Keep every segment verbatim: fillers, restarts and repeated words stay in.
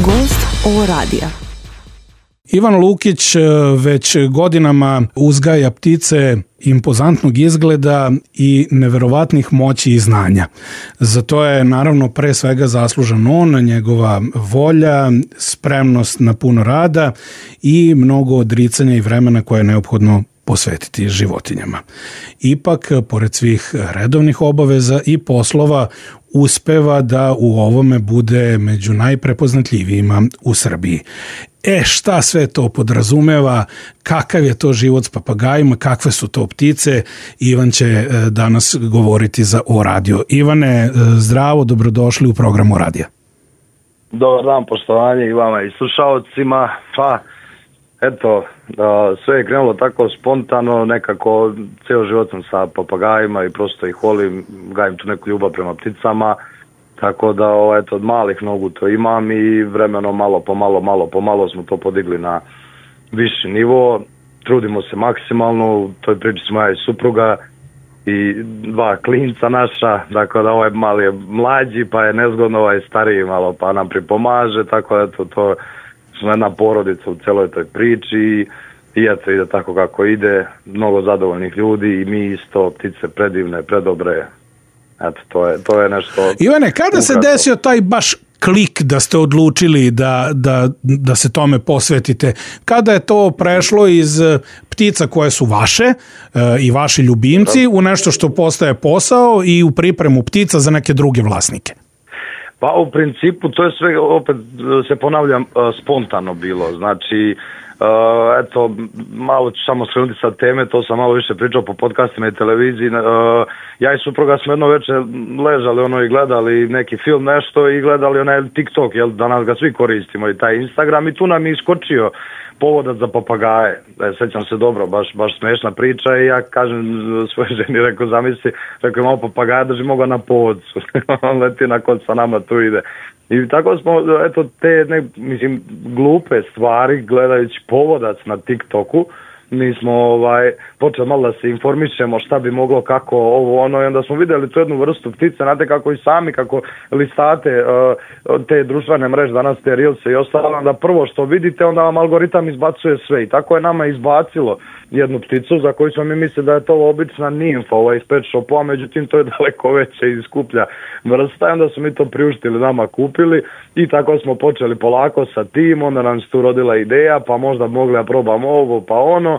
Gost O radija. Ivan Lukić već godinama uzgaja ptice impozantnog izgleda i neverovatnih moći i znanja. Za to je naravno pre svega zaslužan on, njegova volja, spremnost na puno rada i mnogo odricanja i vremena koje je neophodno posvetiti životinjama. Ipak, pored svih redovnih obaveza i poslova, uspeva da u ovome bude među najprepoznatljivijima u Srbiji. E, šta sve to podrazumeva, kakav je to život s papagajima, kakve su to ptice, Ivan će danas govoriti za O radio. Ivane, zdravo, dobrodošli u program O radija. Dobar dan, poštovanje i vama i slušalcima. Pa, eto, sve je krenulo tako spontano, nekako cijelo život sam sa papagajima i prosto ih volim, gajim tu neku ljubav prema pticama. Tako da, eto, od malih nogu to imam i vremeno malo po malo, malo po malo smo to podigli na viši nivo. Trudimo se maksimalno, u toj priči smo ja i supruga i dva klinca naša, tako da ovaj mali je mlađi pa je nezgodno, ovaj stariji malo pa nam pripomaže, tako da eto, to smo jedna porodica u celoj toj priči i eto ide tako kako ide, mnogo zadovoljnih ljudi i mi isto, ptice predivne, predobre. Eto, to je, to je nešto... Ivane, kada ukratko se desio taj baš klik da ste odlučili da, da, da se tome posvetite? Kada je to prešlo iz ptica koje su vaše e, i vaši ljubimci u nešto što postaje posao i u pripremu ptica za neke druge vlasnike? Pa u principu to je sve, opet se ponavljam, spontano bilo. Znači, Uh, eto, malo ću samo skrenuti sa teme, to sam malo više pričao po podcastima i televiziji. Uh, ja i supruga smo jedno večer ležali ono i gledali neki film nešto i gledali onaj TikTok, jel, danas ga svi koristimo i taj Instagram i tu nam je iskočio povodac za papagaje. E, sećam se dobro, baš, baš smešna priča i ja kažem svoje ženi, rekao zamisli, rekao imamo papagaja, drži moga na povodcu. On leti na kod sa nama tu ide. I tako smo, eto, te, ne, mislim, glupe stvari, gledajući povodac na TikToku, mi smo ovaj, počeli malo da se informišemo šta bi moglo, kako ovo, ono, i onda smo vidjeli tu jednu vrstu ptice, znate kako i sami, kako listate uh, te društvene mreže, danas te reelse i ostalo, onda prvo što vidite, onda vam algoritam izbacuje sve i tako je nama izbacilo jednu pticu za koju smo mi mislili da je to obična nimfa, ovaj iz pet shopa, međutim to je daleko veća i skuplja vrsta i onda smo mi to priuštili, nama kupili i tako smo počeli polako sa tim, onda nam se tu rodila ideja, pa možda mogli da probamo ovo, pa ono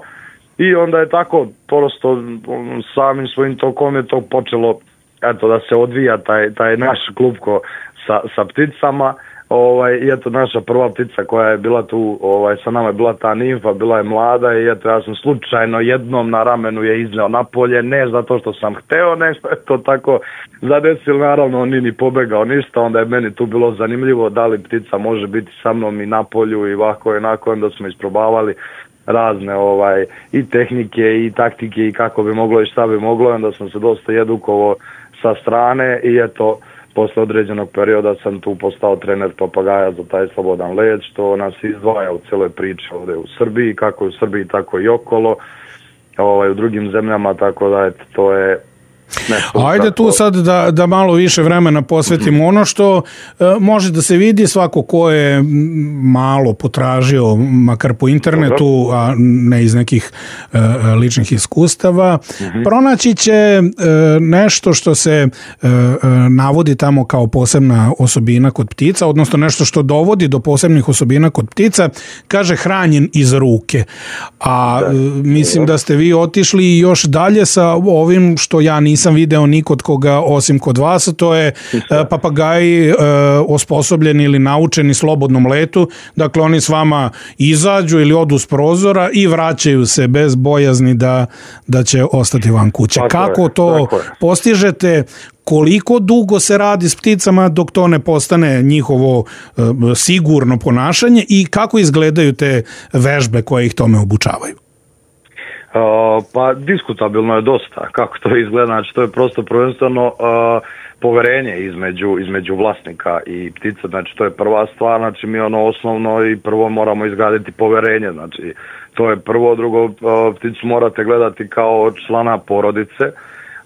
i onda je tako prosto samim svojim tokom je to počelo, eto, da se odvija taj, taj naš klupko sa, sa pticama. Ovaj, i eto naša prva ptica koja je bila tu, ovaj, sa nama je bila ta nimfa, bila je mlada i eto ja sam slučajno jednom na ramenu je izneo napolje, ne zato što sam hteo, nešto je to tako zadesilo, naravno on nije ni pobegao ništa, onda je meni tu bilo zanimljivo da li ptica može biti sa mnom i na polju i ovako i onako, onda smo isprobavali razne ovaj i tehnike i taktike i kako bi moglo i šta bi moglo, onda sam se dosta edukovao sa strane i eto posle određenog perioda sam tu postao trener papagaja za taj slobodan let, što nas izdvaja u cijeloj priči ovdje u Srbiji, kako u Srbiji, tako i okolo, ovaj, u drugim zemljama, tako da eto, to je nešto. Ajde tako tu sad da, da malo više vremena posvetimo. Ono što e, može da se vidi, svako ko je malo potražio, makar po internetu, a ne iz nekih e, ličnih iskustava, mm-hmm. pronaći će e, nešto što se e, navodi tamo kao posebna osobina kod ptica, odnosno nešto što dovodi do posebnih osobina kod ptica, kaže hranjen iz ruke. A da. mislim da ste vi otišli još dalje sa ovim što ja nisam sam video ni kod koga osim kod vas, to je papagaji e, osposobljeni ili naučeni slobodnom letu, dakle oni s vama izađu ili odu s prozora i vraćaju se bez bojazni da, da će ostati van kuće. Tako Kako je, to postižete? Koliko dugo se radi s pticama dok to ne postane njihovo e, sigurno ponašanje i kako izgledaju te vežbe koje ih tome obučavaju? Uh, pa diskutabilno je dosta kako to izgleda, znači to je prosto prvenstveno uh, poverenje između, između vlasnika i ptica, znači to je prva stvar, znači mi ono osnovno i prvo moramo izgraditi poverenje, znači to je prvo, drugo, uh, pticu morate gledati kao člana porodice,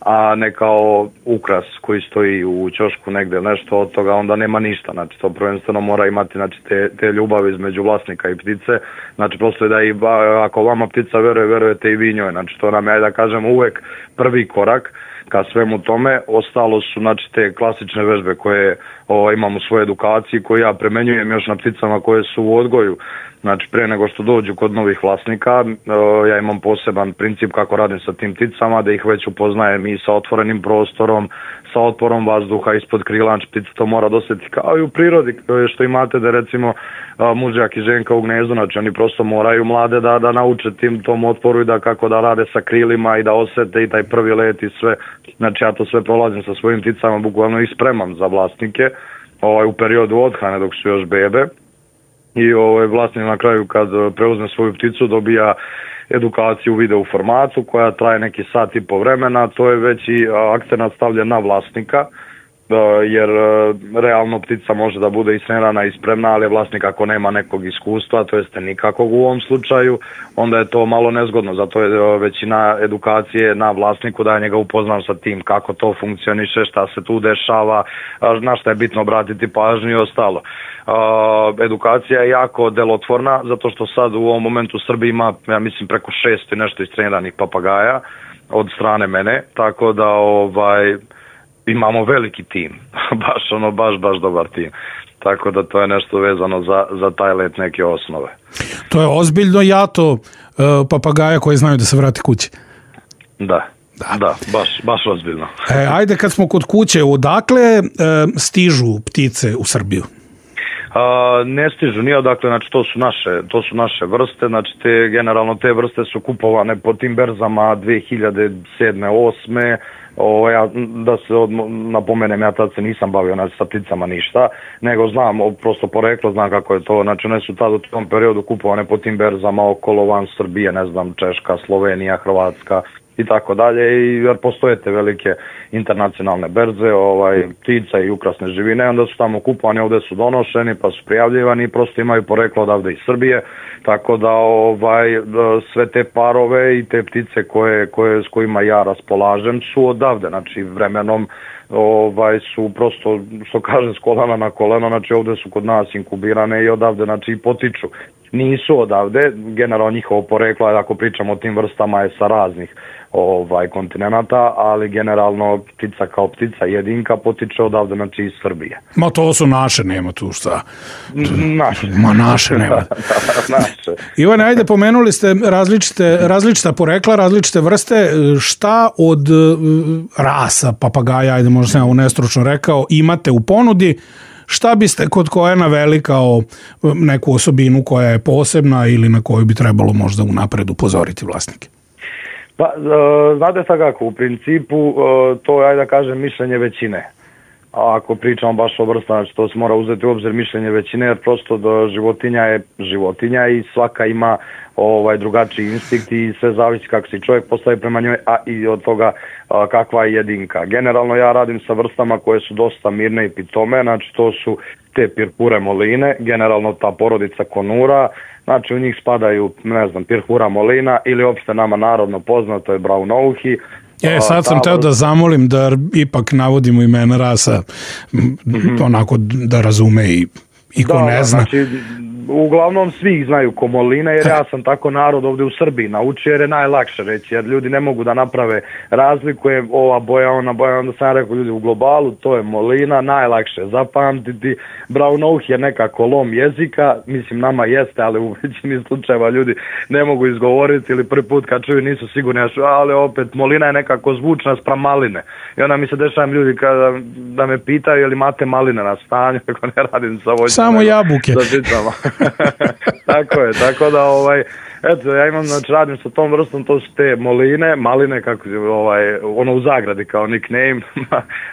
a ne kao ukras koji stoji u ćošku negde nešto od toga, onda nema ništa. Znači to prvenstveno mora imati znači, te, te ljubavi između vlasnika i ptice. Znači prosto je da i ako vama ptica veruje, verujete i vi njoj. Znači to nam je, da kažem, uvek prvi korak ka svemu tome. Ostalo su znači te klasične vežbe koje o, imam u svojoj edukaciji, koje ja premenjujem još na pticama koje su u odgoju. Znači, pre nego što dođu kod novih vlasnika, ja imam poseban princip kako radim sa tim pticama, da ih već upoznajem i sa otvorenim prostorom, sa otporom vazduha ispod krila, znači ptica to mora dosjetiti kao i u prirodi, što imate da recimo mužjak i ženka u gnezdu, znači oni prosto moraju mlade da, da nauče tim tom otporu i da kako da rade sa krilima i da osete i taj prvi let i sve. Znači, ja to sve prolazim sa svojim pticama, bukvalno i spremam za vlasnike ovaj, u periodu odhrane dok su još bebe. I ovaj vlasnik na kraju kad preuzme svoju pticu dobija edukaciju u video formatu koja traje neki sat i po vremena, to je već i akcenat stavljen na vlasnika, jer realno ptica može da bude istrenirana i spremna, ali vlasnik ako nema nekog iskustva, to jeste nikakvog u ovom slučaju, onda je to malo nezgodno, zato je većina edukacije na vlasniku da je njega upoznam sa tim kako to funkcioniše, šta se tu dešava, na šta je bitno obratiti pažnju i ostalo. Edukacija je jako delotvorna, zato što sad u ovom momentu u Srbiji ima, ja mislim, preko šest i nešto istreniranih papagaja od strane mene, tako da ovaj imamo veliki tim, baš ono, baš, baš dobar tim. Tako da to je nešto vezano za, za taj let neke osnove. To je ozbiljno jato uh, papagaja koji znaju da se vrati kući. Da, da, da baš, baš ozbiljno. e, ajde kad smo kod kuće, odakle uh, stižu ptice u Srbiju? A, ne stižu nije odakle, znači to su naše, to su naše vrste, znači te, generalno te vrste su kupovane po tim berzama dve hiljade sedme osme O, ja, da se od, napomenem, ja tad se nisam bavio znači, sa pticama ništa, nego znam, prosto poreklo znam kako je to, znači one su tad u tom periodu kupovane po tim berzama okolo van Srbije, ne znam, Češka, Slovenija, Hrvatska i tako dalje, i jer postoje te velike internacionalne berze, ovaj, ptica i ukrasne živine, onda su tamo kupovani, ovdje su donošeni, pa su prijavljivani i prosto imaju poreklo odavde iz Srbije, tako da ovaj, sve te parove i te ptice koje, koje, s kojima ja raspolažem su odavde, znači vremenom ovaj, su prosto, što kaže, s kolena na koleno, znači ovdje su kod nas inkubirane i odavde, znači i potiču. Nisu odavde, generalno njihovo poreklo, ako pričamo o tim vrstama, je sa raznih ovaj, kontinenta, ali generalno ptica kao ptica jedinka potiče odavde, znači iz Srbije. Ma to su naše, nema tu šta. Naše. Ma naše nema. Naše. Ivane, ajde, pomenuli ste različite, različita porekla, različite vrste. Šta od rasa papagaja, ajde možda sam ja ovo nestručno rekao, imate u ponudi? Šta biste kod koje naveli kao neku osobinu koja je posebna ili na koju bi trebalo možda unapred upozoriti vlasnike? Pa, znate sad kako, u principu to je, ajde da kažem, mišljenje većine. A ako pričamo baš o vrstama, znači to se mora uzeti u obzir mišljenje većine, jer prosto do životinja je životinja i svaka ima ovaj drugačiji instinkt i sve zavisi kako se čovjek postavi prema njoj, a i od toga a, kakva je jedinka. Generalno ja radim sa vrstama koje su dosta mirne i pitome, znači to su te pirhure moline, generalno ta porodica konura, znači u njih spadaju, ne znam, pirhura molina ili uopšte nama narodno poznato je braunouhi. E, sad sam teo da zamolim da ipak navodimo imena rasa, mm-hmm. onako da razume i, i ko da, ne zna. Znači, uglavnom svi znaju ko moline, jer ja sam tako narod ovdje u Srbiji naučio, jer je najlakše reći, jer ljudi ne mogu da naprave razliku, je ova boja, ona boja, onda sam rekao ljudi u globalu, to je molina, najlakše zapamtiti. Braunouhi je nekako lom jezika, mislim nama jeste, ali u većini slučajeva ljudi ne mogu izgovoriti ili prvi put kad čuju nisu sigurni, ali opet molina je nekako zvučna spram maline. I onda mi se dešavam ljudi kada da me pitaju je li imate maline na stanju, ako ne radim sa voćem. Samo jabuke. Tako je, tako da ovaj, eto, ja imam, znači radim sa tom vrstom, to su te moline, maline, kako ovaj, ono u zagradi kao nickname,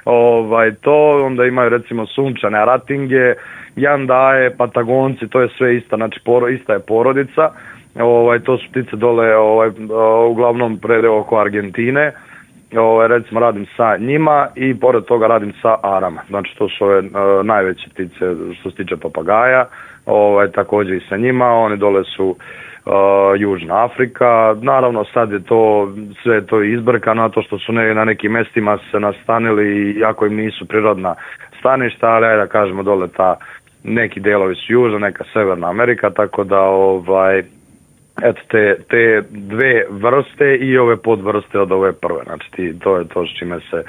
ovaj, to, onda imaju recimo sunčane aratinge, jandaje, patagonci, to je sve ista, znači poro, ista je porodica, ovaj, to su ptice dole, ovaj, uglavnom prede oko Argentine, Ovaj, recimo radim sa njima i pored toga radim sa arama. Znači to su ove uh, najveće ptice što se tiče papagaja, ovaj, također i sa njima, oni dole su uh, Južna Afrika. Naravno sad je to sve to izbrkano, to što su ne, na nekim mestima se nastanili iako im nisu prirodna staništa, ali ajde da kažemo dole ta neki delovi su Južna, neka Severna Amerika, tako da ovaj eto te, te dve vrste i ove podvrste od ove prve, znači ti, to je to s čime se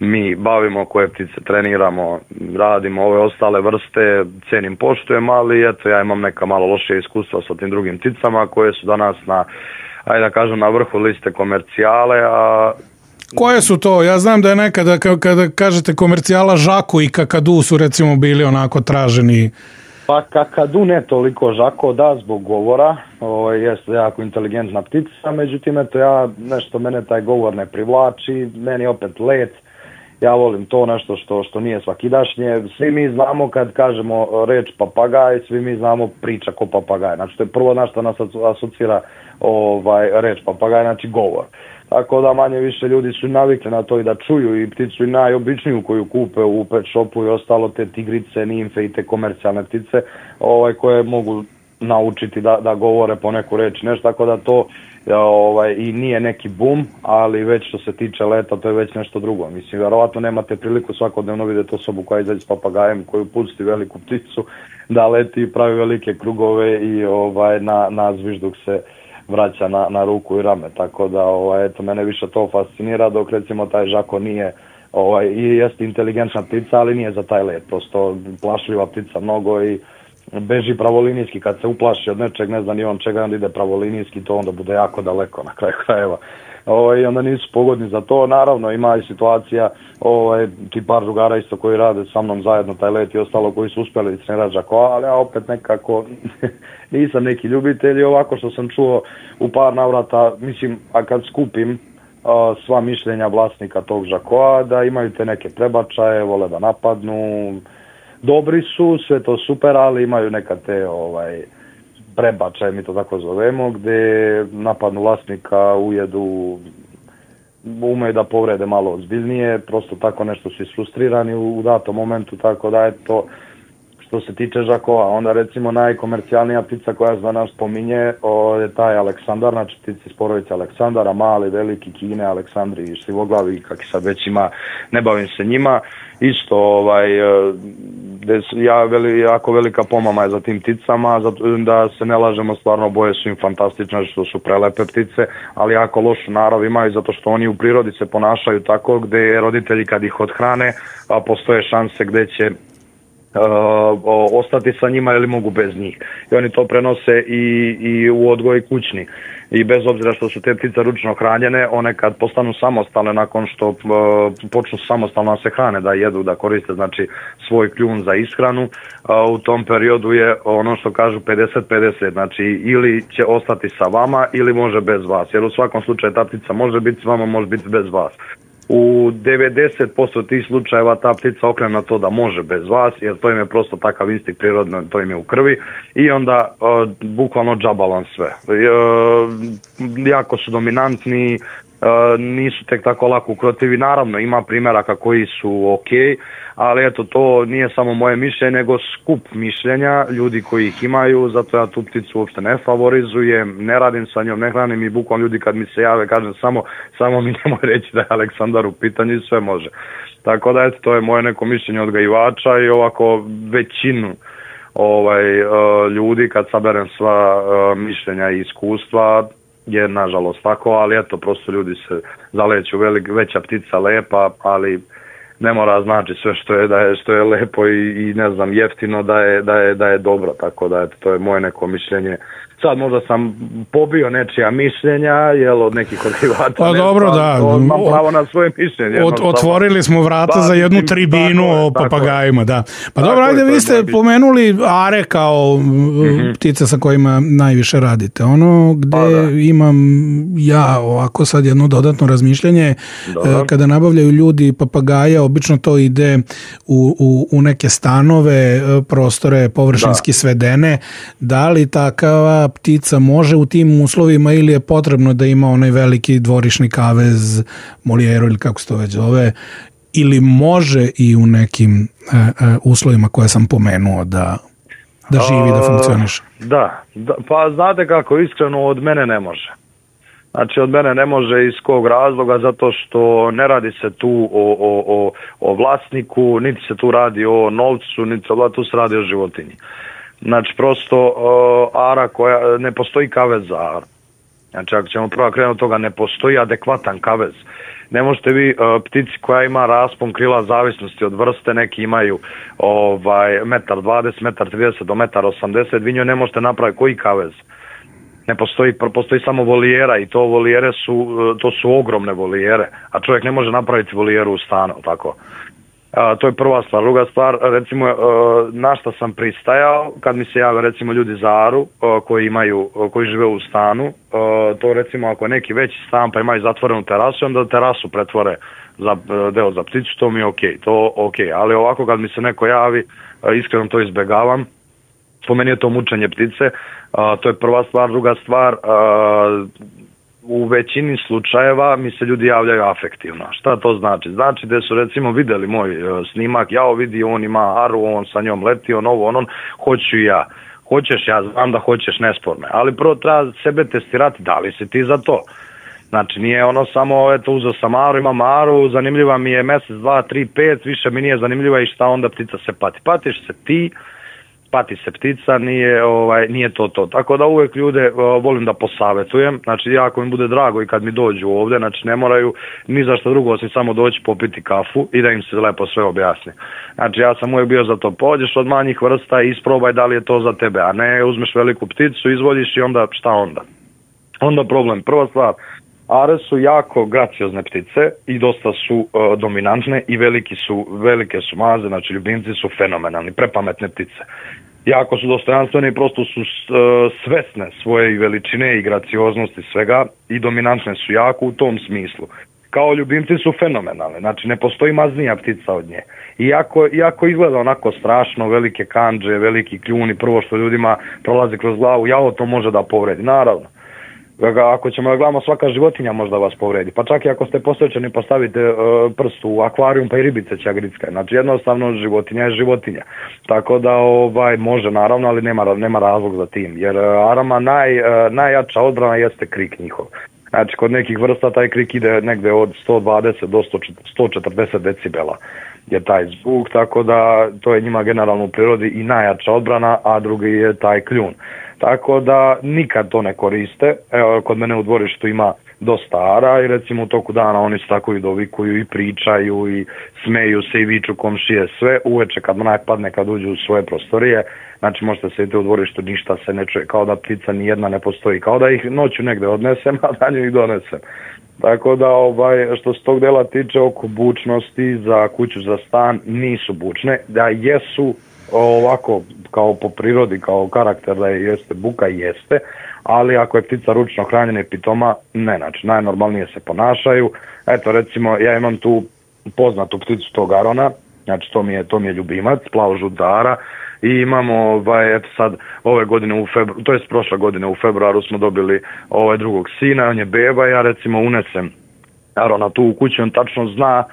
mi bavimo, koje ptice treniramo, radimo ove ostale vrste, cenim, poštujem, ali eto ja imam neka malo loše iskustva sa tim drugim pticama koje su danas na, ajde da kažem, na vrhu liste komercijale, a koje su to? Ja znam da je nekada kada kažete komercijala Žako i Kakadu su recimo bili onako traženi. Pa kakadu ne toliko, Žako da zbog govora, ovo jeste jako inteligentna ptica, međutim eto ja, nešto mene taj govor ne privlači, meni opet let, ja volim to nešto što, što nije svakidašnje, svi mi znamo kad kažemo reč papagaj, svi mi znamo priča ko papagaj, znači to je prvo na što nas asocira ovaj, reč papagaj, znači govor. Tako da manje više ljudi su navikli na to i da čuju i pticu i najobičniju koju kupe u pet shopu i ostalo, te tigrice, nimfe i te komercijalne ptice ovaj, koje mogu naučiti da, da govore po neku reč nešto, tako da to ovaj, i nije neki bum, ali već što se tiče leta to je već nešto drugo. Mislim, vjerovatno nemate priliku svakodnevno vidjeti osobu koja izađe s papagajem koju pusti veliku pticu da leti i pravi velike krugove i ovaj, na, na zvižduk se vraća na, na ruku i rame, tako da ovaj, eto, mene više to fascinira, dok recimo taj Žako nije, ovaj, i jeste inteligentna ptica, ali nije za taj let, prosto plašljiva ptica mnogo i beži pravolinijski, kad se uplaši od nečeg, ne znam ni on čega, onda ide pravolinijski, to onda bude jako daleko na kraju krajeva. Ovaj, onda nisu pogodni za to, naravno ima i situacija, ovaj, ti par drugara isto koji rade sa mnom zajedno taj let i ostalo koji su uspjeli trenirati Žako, ali ja opet nekako nisam neki ljubitelj i ovako što sam čuo u par navrata, mislim, a kad skupim a, sva mišljenja vlasnika tog Žakoa, da imaju te neke prebačaje, vole da napadnu, dobri su, sve to super, ali imaju neka te ovaj, prebačaje, mi to tako zovemo, gdje napadnu vlasnika, ujedu, umeju da povrede malo ozbiljnije, prosto tako nešto su isfrustrirani u, u datom momentu, tako da je to što se tiče Žakova. Onda recimo najkomercijalnija ptica koja se danas spominje o, je taj Aleksandar, znači ptici iz porodice Aleksandara, mali, veliki, Kine, Aleksandri i štivoglavi, kak sad već ima, ne bavim se njima. Isto, ovaj, ja veli, jako velika pomama je za tim pticama, zato, da se ne lažemo, stvarno boje su im fantastične, što su prelepe ptice, ali jako lošu narav imaju, zato što oni u prirodi se ponašaju tako gdje roditelji kad ih odhrane, a postoje šanse gdje će Uh, ostati sa njima ili mogu bez njih. I oni to prenose i, i u odgoj kućni. I bez obzira što su te ptice ručno hranjene, one kad postanu samostalne nakon što uh, počnu samostalno da se hrane, da jedu, da koriste znači svoj kljun za ishranu, uh, u tom periodu je ono što kažu pedeset pedeset, znači ili će ostati sa vama ili može bez vas, jer u svakom slučaju ta ptica može biti s vama, može biti bez vas. U devedeset posto tih slučajeva ta ptica okrene na to da može bez vas, jer to im je prosto takav instinkt prirodno, to im je u krvi i onda uh, bukvalno džabalan sve. Uh, jako su dominantni, uh, nisu tek tako lako ukrotivi, naravno ima primjeraka koji su ok, ali eto to nije samo moje mišljenje, nego skup mišljenja ljudi koji ih imaju, zato ja tu pticu uopšte ne favorizujem, ne radim sa njom, ne hranim i bukvalno ljudi kad mi se jave kažem samo, samo mi nemoj reći da je Aleksandar u pitanju i sve može. Tako da eto to je moje neko mišljenje odgajivača i ovako većinu ovaj, uh, ljudi kad saberem sva uh, mišljenja i iskustva je nažalost tako, ali eto prosto ljudi se zaleću, velik, veća ptica lepa, ali ne mora znači sve što je da je što je lepo i, i ne znam jeftino da je da je da je dobro, tako da eto to je moje neko mišljenje. Sad možda sam pobio nečija mišljenja, jel, od nekih odgajivača. Pa dobro, da. Imam pravo na svoje mišljenje. Od, otvorili smo vrata da, za jednu tribinu o papagajima, da. Pa tako dobro, ajde, vi ste pomenuli are kao mm-hmm. ptice sa kojima najviše radite. Ono gde pa, imam ja ovako sad jedno dodatno razmišljanje, Dobar. kada nabavljaju ljudi papagaja, obično to ide u, u, u neke stanove, prostore površinski da. svedene. Da li takava ta ptica može u tim uslovima ili je potrebno da ima onaj veliki dvorišni kavez, Moliero ili kako se to već zove, ili može i u nekim e, e, uslovima koje sam pomenuo da, da živi, da funkcioniše? Da, da, pa znate kako, iskreno od mene ne može. Znači od mene ne može iz kog razloga, zato što ne radi se tu o, o, o, o vlasniku, niti se tu radi o novcu, niti tu se radi o životinji. Znači prosto uh, ara koja, ne postoji kavez za aru. Znači ako ćemo prvo krenuti od toga, ne postoji adekvatan kavez. Ne možete vi uh, ptici koja ima raspon krila zavisnosti od vrste, neki imaju ovaj, metar dvadeset, metar trideset do metar osamdeset, vi njoj ne možete napraviti koji kavez. Ne postoji, postoji samo volijera i to volijere su, to su ogromne volijere, a čovjek ne može napraviti volijeru u stanu, tako. A, to je prva stvar. Druga stvar, recimo, na šta sam pristajao, kad mi se jave recimo ljudi za aru, koji imaju, koji žive u stanu, to recimo ako je neki veći stan pa imaju zatvorenu terasu, onda terasu pretvore za deo za pticu, to mi je okej, to okej, ali ovako kad mi se neko javi, iskreno to izbegavam. Po meni je to mučenje ptice, a, to je prva stvar. Druga stvar, a, u većini slučajeva mi se ljudi javljaju afektivno. Šta to znači? Znači da su recimo vidjeli moj snimak, ja vidi on ima aru, on sa njom leti, on ovo, on, on, hoću ja. Hoćeš, ja znam da hoćeš, nesporno. Ali prvo treba sebe testirati, da li si ti za to? Znači nije ono samo, eto uzeo sam aru, imam aru, zanimljiva mi je mjesec, dva, tri, pet, više mi nije zanimljiva i šta onda ptica se pati. Patiš se ti, pati se ptica, nije, ovaj, nije to to. Tako da uvijek ljude uh, volim da posavetujem, znači jako mi bude drago i kad mi dođu ovdje, znači ne moraju ni za što drugo osim samo doći popiti kafu i da im se lepo sve objasni. Znači ja sam uvijek bio za to, pođeš od manjih vrsta i isprobaj da li je to za tebe, a ne uzmeš veliku pticu, izvodiš i onda šta onda? Onda problem, prva stvar, are su jako graciozne ptice i dosta su uh, dominantne i veliki su, velike su maze, znači ljubimci su fenomenalni, prepametne ptice. Jako su dostojanstvene i prosto su uh, svesne svoje veličine i gracioznosti svega i dominantne su jako u tom smislu. Kao ljubimci su fenomenalne, znači ne postoji maznija ptica od nje. Iako, iako izgleda onako strašno, velike kandže, veliki kljuni, prvo što ljudima prolazi kroz glavu, jao to može da povredi, naravno. Ako ćemo da gledamo, svaka životinja možda vas povredi, pa čak i ako ste posvećeni postavite uh, prst u akvarijum pa i ribice će grickati, znači jednostavno životinja je životinja, tako da ovaj, može naravno, ali nema, nema razlog za tim, jer uh, arama naj, uh, najjača odbrana jeste krik njihov. Znači kod nekih vrsta taj krik ide negde od sto dvadeset do sto četrdeset decibela je taj zvuk, tako da to je njima generalno u prirodi i najjača odbrana, a drugi je taj kljun. Tako da nikad to ne koriste. Evo, kod mene u dvorištu ima dosta ara i recimo u toku dana oni se tako i dovikuju i pričaju i smeju se i viču komšije sve. Uveče kad mrak padne, kad uđu u svoje prostorije, znači možete sediti u dvorištu, ništa se ne čuje, kao da ptica ni jedna ne postoji, kao da ih noću negde odnesem, a danju ih donesem. Tako da ovaj, što se tog dela tiče oko bučnosti za kuću, za stan, nisu bučne, da jesu ovako kao po prirodi, kao karakter da je jeste buka, jeste, ali ako je ptica ručno hranjena i pitoma, ne, znači najnormalnije se ponašaju. Eto recimo ja imam tu poznatu pticu tog arona, znači to mi je, to mi je ljubimac, plavo-žutara, i imamo ovaj, eto sad ove godine u februaru, to jest prošle godine u februaru smo dobili ovaj drugog sina, on je beba, ja recimo unesem arona tu u kuću, on tačno zna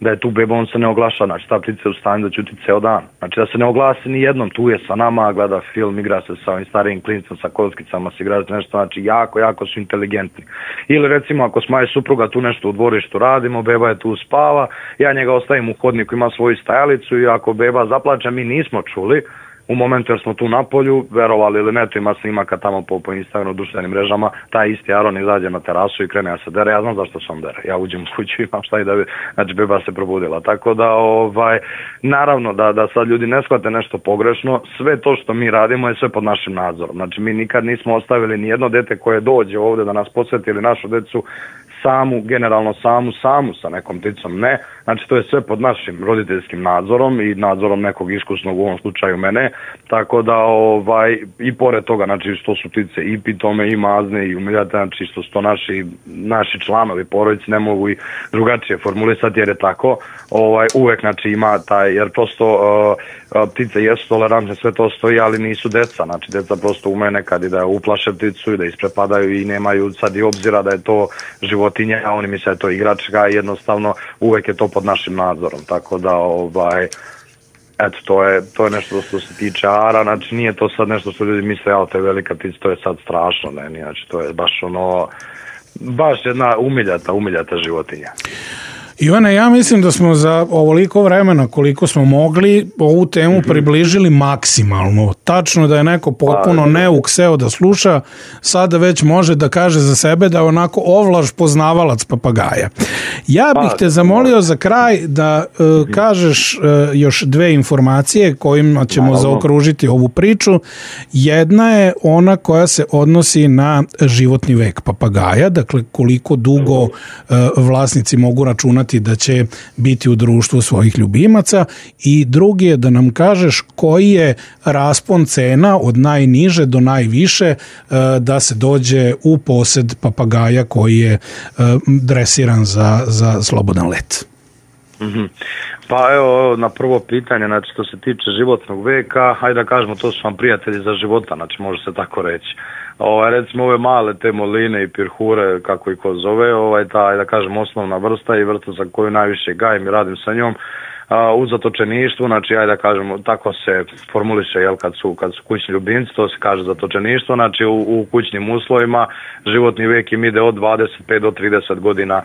da je tu beba, on se ne oglaša, znači ta ptica je u stanju da ćuti ceo dan. Znači da se ne oglasi ni jednom, tu je sa nama, gleda film, igra se sa ovim starijim klincom, sa kockicama, se igra se nešto, znači jako, jako su inteligentni. Ili recimo ako smo aj supruga tu nešto u dvorištu radimo, beba je tu spava, ja njega ostavim u hodniku, ima svoju stajalicu i ako beba zaplače, mi nismo čuli, u momentu jer smo tu na polju, verovali ili ne, to ima snimaka tamo po, po Instagramu, društvenim mrežama, taj isti aron izađe na terasu i krene da se dere, ja znam zašto se on dere, ja uđem u kuću i imam šta i da bi, znači beba se probudila, tako da ovaj, naravno da, da sad ljudi ne shvate nešto pogrešno, sve to što mi radimo je sve pod našim nadzorom, znači mi nikad nismo ostavili ni jedno dete koje dođe ovdje da nas posveti ili našu decu samu, generalno samu, samu sa nekom pticom, ne, znači to je sve pod našim roditeljskim nadzorom i nadzorom nekog iskusnog, u ovom slučaju mene, tako da ovaj, i pored toga, znači što su ptice i pitome i mazne i umiljate, znači što su to naši, naši članovi porodice, ne mogu i drugačije formulisati jer je tako, ovaj, uvek znači ima taj, jer prosto uh, ptice jesu tolerantne, sve to stoji, ali nisu deca, znači deca prosto ume nekad i da uplaše pticu i da isprepadaju i nemaju sad i obzira da je to životinja, a oni misle da je to igračka, jednostavno uvek je to pod našim nadzorom, tako da ovaj, eto, to je, to je nešto što se tiče ara, znači nije to sad nešto što ljudi misle, ja, to je velika ptica, to je sad strašno, ne, znači to je baš ono, baš jedna umiljata, umiljata životinja. Ivane, ja mislim da smo za ovoliko vremena koliko smo mogli ovu temu približili maksimalno. Tačno da je neko potpuno neuk seo da sluša, sada već može da kaže za sebe da je onako ovlaž poznavalac papagaja. Ja bih te zamolio za kraj da uh, kažeš uh, još dve informacije kojima ćemo zaokružiti ovu priču. Jedna je ona koja se odnosi na životni vek papagaja, dakle koliko dugo uh, vlasnici mogu računati da će biti u društvu svojih ljubimaca, i drugi je da nam kažeš koji je raspon cena od najniže do najviše da se dođe u posed papagaja koji je dresiran za, za slobodan let. Mm-hmm. Pa evo, na prvo pitanje, znači što se tiče životnog veka, hajde da kažemo, to su vam prijatelji za života, znači može se tako reći. Ovaj, recimo ove male te moline i pirhure, kako i ko zove, ovaj, ta, da kažem, osnovna vrsta i vrsta za koju najviše gajim i radim sa njom, a, u zatočeništvu, znači ajde da kažemo, tako se formuliše, jel, kad su, kad su kućni ljubimci, to se kaže zatočeništvo, znači u, u kućnim uslovima životni vek im ide od dvadeset pet do trideset godina,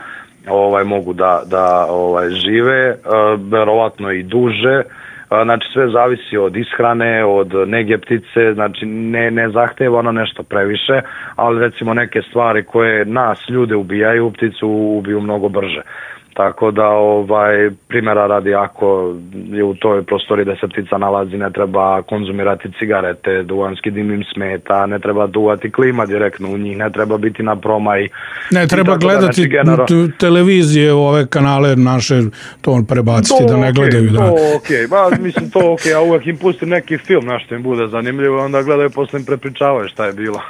ovaj, mogu da, da ovaj, žive, verovatno i duže. Znači sve zavisi od ishrane, od nege ptice, znači ne, ne zahteva ono nešto previše, ali recimo neke stvari koje nas ljude ubijaju, pticu ubiju mnogo brže. Tako da, ovaj, primjera radi, ako je u toj prostori da se ptica nalazi, ne treba konzumirati cigarete, duvanski dim im smeta, ne treba duvati klima direktno u njih, ne treba biti na promaj. Ne treba gledati da, genero... televizije, ove kanale naše, to prebaciti, to, da ne gledaju. Okay, da. To okej, okay. Mislim to okej, okay. A uvek im pustim neki film, nešto im bude zanimljivo, onda gledaju, posle im prepričavaju šta je bilo.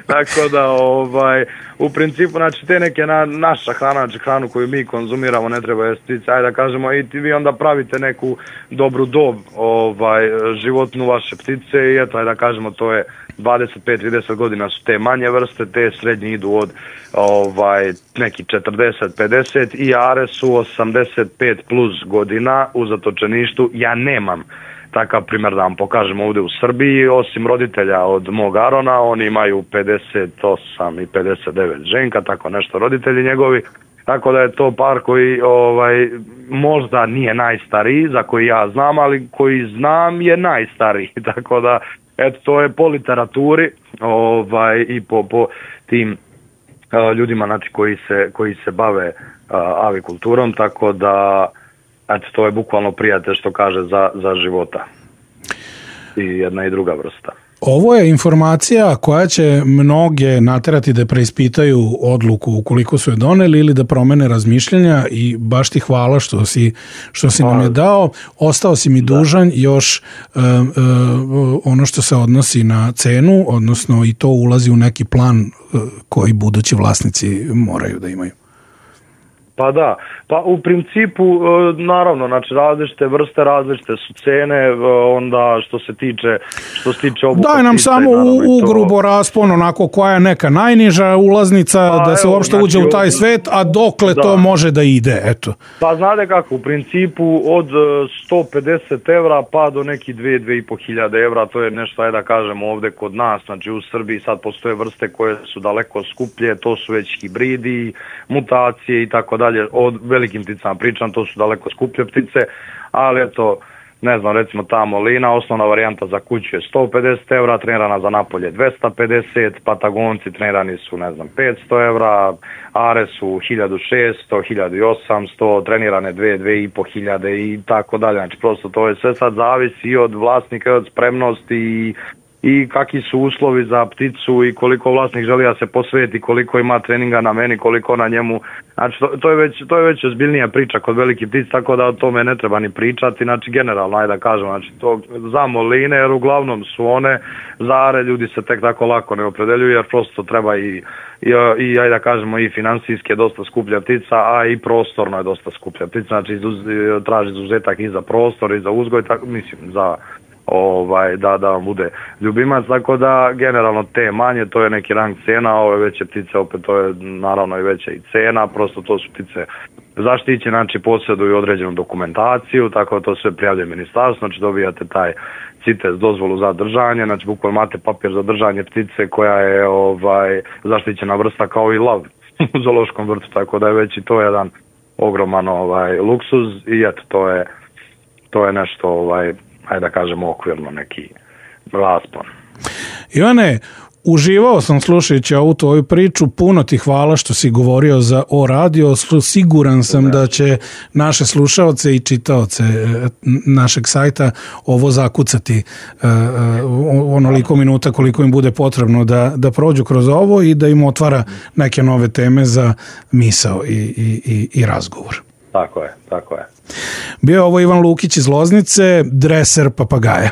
Tako da, ovaj, u principu, znači te neke na, naša hrana, znači hranu koju mi konzumiramo, ne treba jesti ptice, ajde da kažemo, i vi onda pravite neku dobru dob, ovaj, životnu vaše ptice, i eto, ajde da kažemo, to je dvadeset pet do trideset godina su te manje vrste, te srednje idu od ovaj, neki četrdeset do pedeset i are su osamdeset pet plus godina u zatočeništu. Ja nemam takav primjer da vam pokažem ovdje u Srbiji, osim roditelja od mog Arona, oni imaju pedeset osam i pedeset devet ženka, tako nešto roditelji njegovi. Tako da je to par koji ovaj, možda nije najstariji, za koji ja znam, ali koji znam je najstariji. Tako da, eto, to je po literaturi ovaj, i po, po tim uh, ljudima, znači, koji se, koji se bave uh, avikulturom, tako da, eto, to je bukvalno prijatelj što kaže za, za života. I jedna i druga vrsta. Ovo je informacija koja će mnoge naterati da preispitaju odluku ukoliko su je doneli ili da promene razmišljanja, i baš ti hvala što si, što si nam je dao. Ostao si mi dužan još uh, uh, ono što se odnosi na cenu, odnosno i to ulazi u neki plan uh, koji budući vlasnici moraju da imaju. Pa da, pa u principu, naravno, znači različite vrste, različite su cene, onda što se tiče, što se tiče obuka. Daj nam samo u, u grubo raspon, onako koja je neka najniža ulaznica, pa, da se evo, uopšte znači, uđe u taj svet, a dokle da. to može da ide, eto. Pa znate kako, u principu od sto pedeset evra pa do neki dve do dve i po hiljade evra, to je nešto, ajde da kažemo, ovde kod nas, znači u Srbiji sad postoje vrste koje su daleko skuplje, to su već hibridi, mutacije i tako dalje. Od velikim pticama pričam, to su daleko skuplje ptice, ali eto, ne znam, recimo ta molina, osnovna varijanta za kuću je sto pedeset evra, trenirana za napolje dvesta pedeset, patagonci trenirani su, ne znam, petsto evra, are su hiljadu šesto, hiljadu osamsto, trenirane dve, dve i po hiljade i tako dalje. Znači, prosto to je sve sad zavisi i od vlasnika, i od spremnosti i, i kakvi su uslovi za pticu i koliko vlasnik želi da se posveti, koliko ima treninga na meni, koliko na njemu. Znači to, to je već to je već ozbiljnija priča kod velikih ptica, tako da o tome ne treba ni pričati. Znači generalno, ajde da kažem, znači to za moline, jer uglavnom su one za are, ljudi se tek tako lako ne opredeljuju, jer prosto treba i i, i ajde da kažemo i finansijski je dosta skuplja ptica, a i prostorno je dosta skuplja ptica. Znači izuz, traži izuzetak i za prostor i za uzgoj, tako mislim za ovaj da da vam bude ljubimac, tako da generalno te manje, to je neki rang cena, ove veće ptice opet to je naravno i veća i cena, prosto to su ptice zaštićene, znači posjeduju određenu dokumentaciju, tako da to sve prijavljuje ministarstvo, znači dobijate taj CITES dozvolu za držanje, znači bukvalno imate papir za držanje ptice koja je ovaj zaštićena vrsta kao i lav u zoološkom vrtu, tako da je već i to jedan ogroman ovaj luksuz i eto to je to je nešto ovaj ajde da kažemo okvirno neki raspon. Ivane, uživao sam slušajući ovu tvoju priču, puno ti hvala što si govorio za O radio, siguran sam da će naše slušaoce i čitaoce našeg sajta ovo zakucati onoliko minuta koliko im bude potrebno da, da prođu kroz ovo i da im otvara neke nove teme za misao i, i, i, i razgovor. Tako je, tako je. Bio je ovo Ivan Lukić iz Loznice, dreser papagaja.